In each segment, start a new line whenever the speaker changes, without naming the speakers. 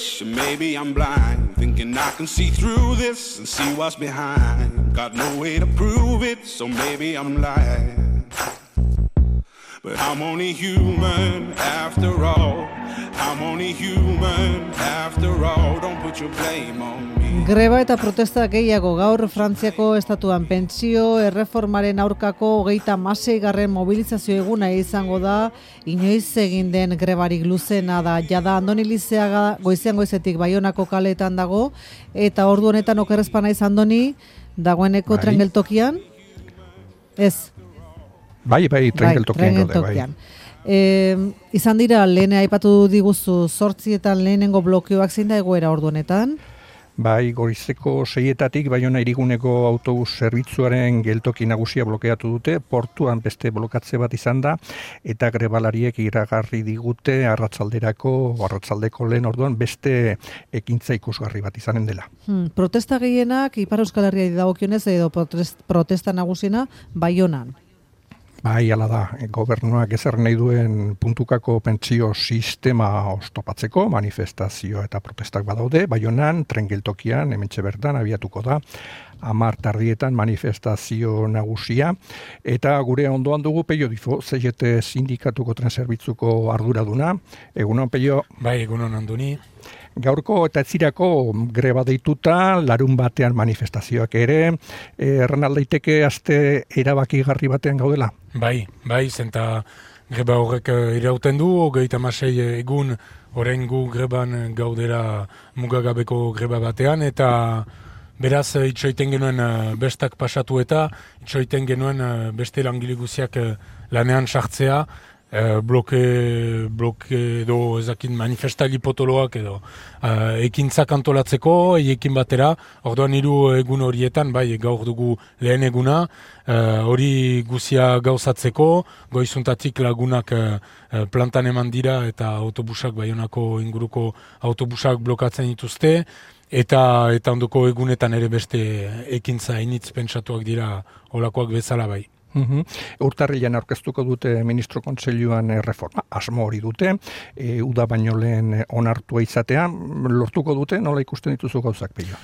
switch, maybe I'm blind, thinking I can see through this and see what's behind. Got no way to prove it, so maybe I'm lying. But I'm only human after all. I'm only human after all. Don't put your blame on me.
Greba eta protesta gehiago gaur Frantziako estatuan pentsio erreformaren aurkako 36. mobilizazio eguna izango da. Inoiz egin den grebarik luzena da. Jada Andoni Lizeaga goizean goizetik Baionako kaleetan dago eta ordu honetan okerrezpa naiz Andoni dagoeneko tren geltokian. Ez.
Bai, tren geltokian.
Izan dira, lehen aipatu diguzu 8etan lehenengo blokeoak zein da egoera ordu honetan?
Bai, goizeko 6etatik Baiona hiriguneko autobus zerbitzuaren geltoki nagusia blokeatu dute, portuan beste blokatze bat izan da, eta grebalariek iragarri digute arratsaldeko lehen orduan beste ekintza ikusgarri bat izanen dela.
Protesta gehienak Ipar Euskal Herriari dagokionez edo protesta nagusiena Baionan.
Bai, hala da, gobernuak ezer nahi duen puntukako pentsio sistema oztopatzeko, manifestazio eta protestak badaude, Baionan, tren geltokian, hementxe bertan, abiatuko da, 10 tardietan manifestazio nagusia, eta gure ondoan dugu Peio Difo, CGT sindikatuko tren zerbitzuko arduraduna. Egunon, Peio?
Bai, egunon Andoni.
Gaurko eta etzirako greba deituta, larun batean manifestazioak ere, erran aldaiteke aste erabakigarri batean gaudela?
Bai, zenta greba horrek irauten du, 36 egun orain gu greban gaudera mugagabeko greba batean, eta beraz itxoiten genuen bestak pasatu eta itxoiten genuen beste langile guziak lanean sartzea, bloke edo ezakin manifestali potoloak edo ekintzak antolatzeko, ekin batera, orduan 3 egun horietan, bai, gaur dugu lehen eguna, hori guzia gauzatzeko, goizuntatik lagunak plantan eman dira eta autobusak, Baionako inguruko autobusak blokatzen dituzte, eta ondoko egunetan ere beste ekintza initz pentsatuak dira olakoak bezala bai.
Urtarrilean aurkeztuko dute Ministro Kontseiluan reforma, asmo hori dute, uda baino lehen onartua izatea, lortuko dute, nola ikusten dituzu gauzak, Peio?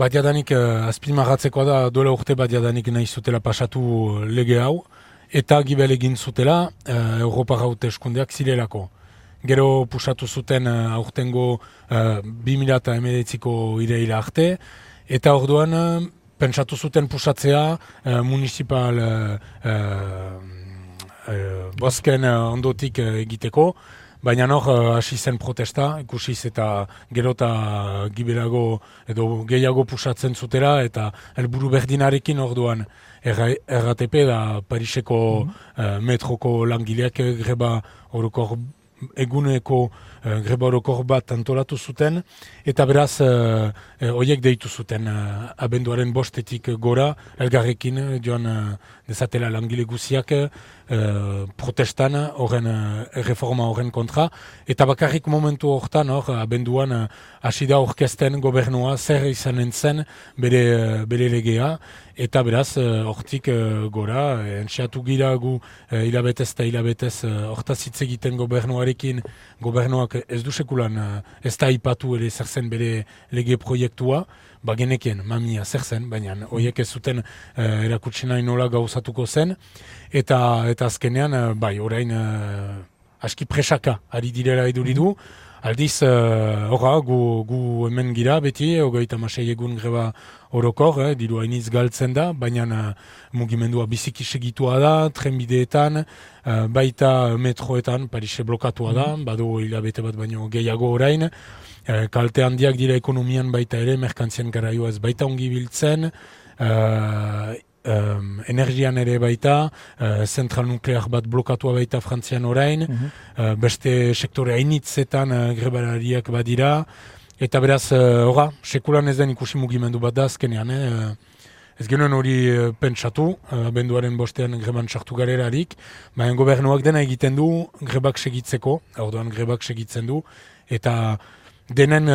Bat jadanik azpimarratzekoa da, duela urte bat jadanik nahi zutela pasatu lege hau, eta gibel egin zutela Europar hauteskundeak zirelako. Gero pusatu zuten aurtengo 2019ko iraila arte, eta orduan pentsatu zuten pusatzea municipal bosken ondotik egiteko, baina hasi zen protesta, ikusiz eta gero eta gibelago edo gehiago pusatzen zutera, eta helburu berdinarekin orduan RATP da Pariseko metroko langileak greba orokor eguneko greba orokor bat antolatu zuten, eta beraz horiek deitu zuten abenduaren 5etik gora, elgarrekin joan dezatela langile guziak protestan horren reforma horren kontra, eta bakarrik momentu hortan abenduan hasi da orkesten gobernua zer izanen zen bere legea, eta beraz hortik gora, entxeatu gira gu hilabetez eta hilabetez hortaz hitz egiten gobernuarekin, gobernuak ez du sekulan ez da ipatu ere zer zen bere lege proiektua, genekien mamia zer zen, baina horiek ez zuten erakutsi nahi nola gauzatuko zen, eta azkenean, orain aski presaka ari direla iduridu, aldiz, gu hemen gira beti, 36 egun greba orokor, diru hainiz galtzen da, baina mugimendua biziki segitua da, trenbideetan, baita metroetan, Parise blokatua da, badu hilabete bat baino gehiago orain, kalte handiak dira ekonomian baita ere, merkantzien garaioa ez baita ongi biltzen, energian ere baita, zentral nuklear bat blokatua baita Frantzian orain, beste sektore hainitzetan grebalariak badira, eta beraz, sekulan ez den ikusi mugimendu bat da azkenean, ez genuen hori pentsatu, abenduaren 5ean greban sartu garerarik, baina gobernuak dena egiten du grebak segitzeko, orduan grebak segitzen du, eta denen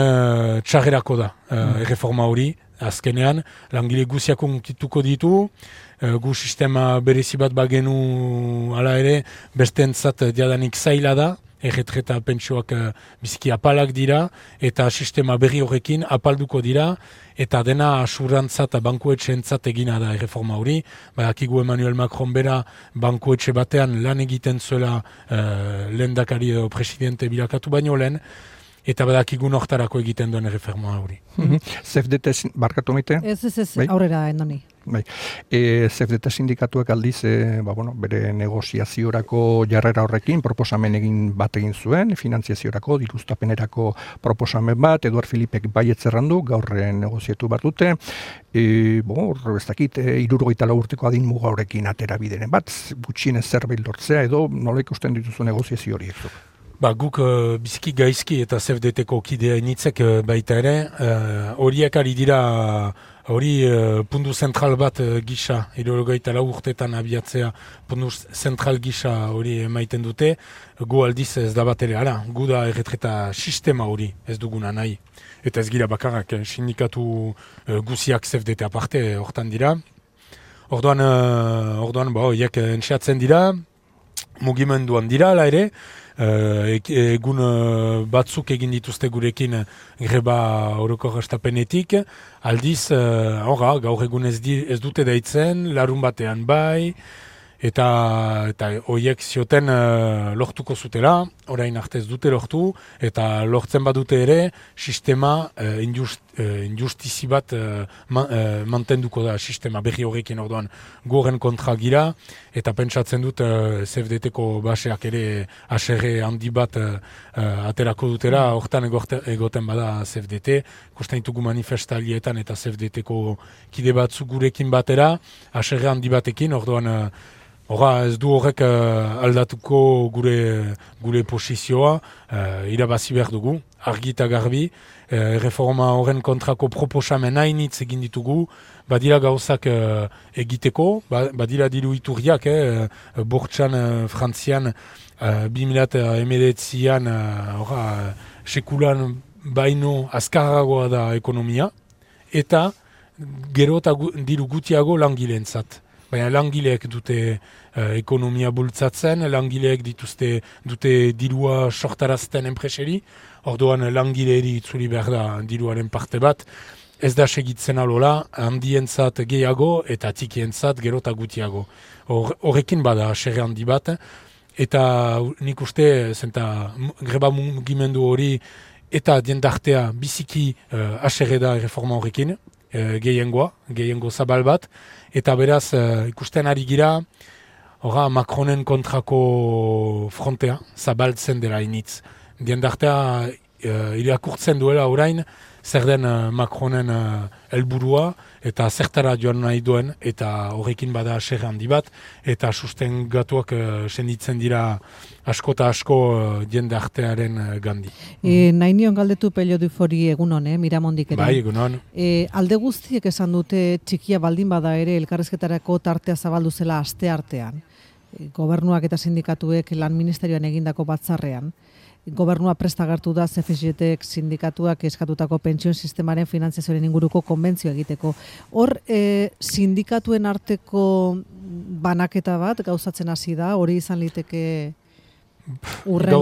txarrerako da reforma hori, azkenean, langile guziak unkituko ditu, gu sistema berezi bat bagenu ala ere, bestentzat diadanik zaila da, erretreta pentsioak biziki apalak dira, eta sistema berri horrekin apalduko dira, eta dena asurantza eta bankuetxeentzat egina da erreforma hori. Badakigu Emmanuel Macron bera bankuetxe batean lan egiten zuela lehendakari edo presidente bilakatu baino lehen, eta badakigu nortarako egiten duen erreforma hori.
CFDT barkatu maite?
Ez, aurrera endoni.
Bai. CFDT sindikatuak aldiz, bere negoziaziorako jarrera horrekin proposamen bat egin zuen, finantziaziorako, diruztapenerako proposamen bat, Eduard Filipek baietz errandu, gaur negoziatu bat dute, ez dakit, 74 urteko adin muga horrekin atera bideren bat, gutxienez zerbait lortzea edo nola ikusten dituzu negoziazio horiek?
Guk biziki gaizki eta CFDT-ko kidea initzek baita ere, horiek ari dira puntu zentral bat gisa, 74 urtetan abiatzea puntu zentral gisa hori emaiten dute, gu aldiz ez da bat ere, gu da erretreta sistema hori ez duguna nahi. Eta ez gira bakarrak, sindikatu guziak CFDT aparte hortan dira. Orduan, horiek entxeatzen dira, mugimenduan dira, ala ere, egun batzuk egin dituzte gurekin greba orokor hastapenetik, aldiz, gaur egun ez dute deitzen, larun batean bai, eta horiek zioten lortuko zutela, orain arte ez dute lortu, eta lortzen badute ere, sistema injustizi bat mantenduko da sistema berri horrekin orduan goren kontra gira, eta pentsatzen dut CFDT-ko baseak ere aserre handi bat aterako dutera, hortan egoten bada CFDT, ikusten ditugu manifestalietan eta CFDT-ko kide batzuk gurekin batera, aserre handi batekin, orduan ez du horrek aldatuko gure posizioa, irabazi behar dugu, argi eta garbi, reforma horren kontrako proposamen hainitz egin ditugu, badira gauzak egiteko, badira diru iturriak, bortxan Frantzian 2019an sekulan baino azkarragoa da ekonomia, eta gero eta diru gutiago langileentzat. Baina langileek dute ekonomia bultzatzen, langileek dute dirua sortarazten enpreseri, orduan langileeri itzuli behar da diruaren parte bat, ez da segitzen alola, handientzat gehiago eta txikientzat gero eta gutiago. Horrekin bada aserre handi bat, eta nik uste greba mugimendu hori eta diendartea biziki aserre da reforma horrekin, gehiengo zabal bat, eta beraz ikusten ari gira, Macronen kontrako frontea zabaltzen dela initz. Diendartea irakurtzen duela orain, zer den Macronen helburua eta zertara joan nahi duen, eta horrekin bada aserre handi bat, eta sustengatuak senditzen dira asko eta asko jendartearen gandi.
Nahi nion galdetu Pello Dufori egunon, Miramondik ere.
Bai, egunon.
Alde guztiek esan dute txikia baldin bada ere elkarrizketarako tartea zabaldu zela aste artean. Gobernuak eta sindikatuek lan ministerioan egindako batzarrean. Gobernua prestagartu da CFDT sindikatuak eskatutako pentsioen sistemaren finantzazioaren inguruko konbentzio egiteko. Hor, sindikatuen arteko banaketa bat gauzatzen hasi da, hori izan liteke urrengo.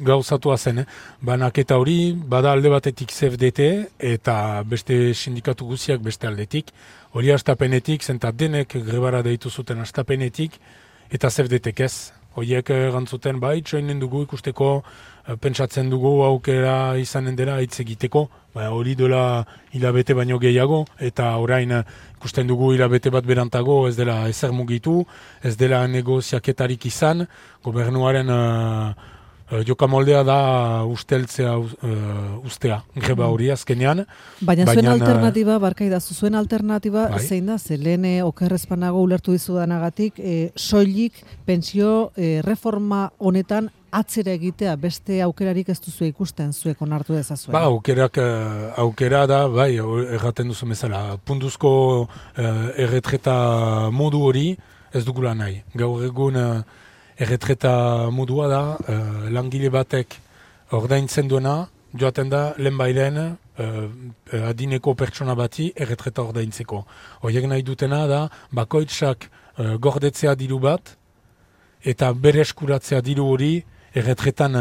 Gauzatua zen. Banaketa hori, bada alde batetik CFDT eta beste sindikatu guziak beste aldetik. Hori astapenetik, zenta denek grebara deitu zuten astapenetik, eta CFDT-ek ez. Horiek gantzuten txoinen dugu ikusteko, pentsatzen dugu aukera izanen dela hitz egiteko, hori dela hilabete baino gehiago, eta orain ikusten dugu hilabete bat berantago ez dela ezer mugitu, ez dela negoziaketarik izan, gobernuaren jokamoldea da ustea, greba hori azkenean.
Baina zuen alternatiba, zuen alternatiba zein da, lehen okerrezpanago ulertu dizudanagatik, soilik pentsio reforma honetan atzera egitea, beste aukerarik ez duzu ikusten zuek onartu dezazuen.
Aukera da, erraten duzu bezala, puntuzko erretreta modu hori ez dugula nahi. Gaur egun erretreta modua da, langile batek ordaintzen duena, joaten da lehenbailen adineko pertsona bati erretreta ordaintzeko. Horiek nahi dutena da, bakoitzak gordetzea diru bat, eta bere eskuratzea diru hori erretretan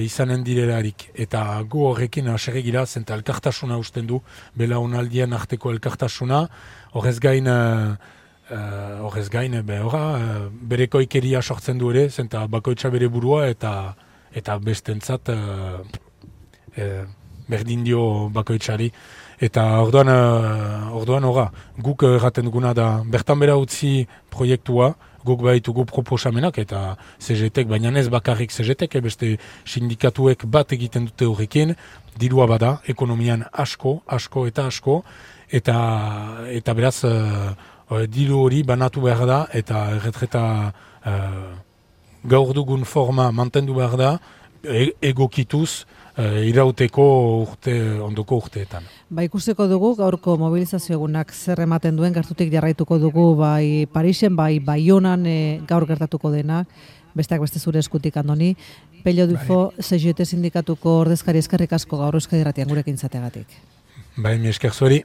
izanen direlarik. Eta gu horrekin aserregira, zenta elkartasuna usten du, belaunaldien arteko elkartasuna, horrez gain, berekoikeria sortzen du ere, zenta bakoitza bere burua eta bestentzat berdin dio bakoitzari. Eta orduan guk erraten duguna da, bertan bera utzi proiektua, guk baitugu proposamenak eta CGT-ek, baina ez bakarrik CGT-ek, beste sindikatuek bat egiten dute horrekin, dirua bada, ekonomian asko, eta beraz, diru hori banatu behar da, eta erretreta gaur dugun forma mantendu behar da, egokituz, irauteko ondoko urteetan.
Ikusiko dugu gaurko mobilizazio egunak zer ematen duen, gertutik jarraituko dugu bai Parisen, bai Baionan gaur gertatuko dena, besteak beste zure eskutik, Andoni. Pello Dufo, CGT sindikatuko ordezkari, eskerrik asko gaur Euskadi Irratian gurekin izateagatik.
Mi esker zueri.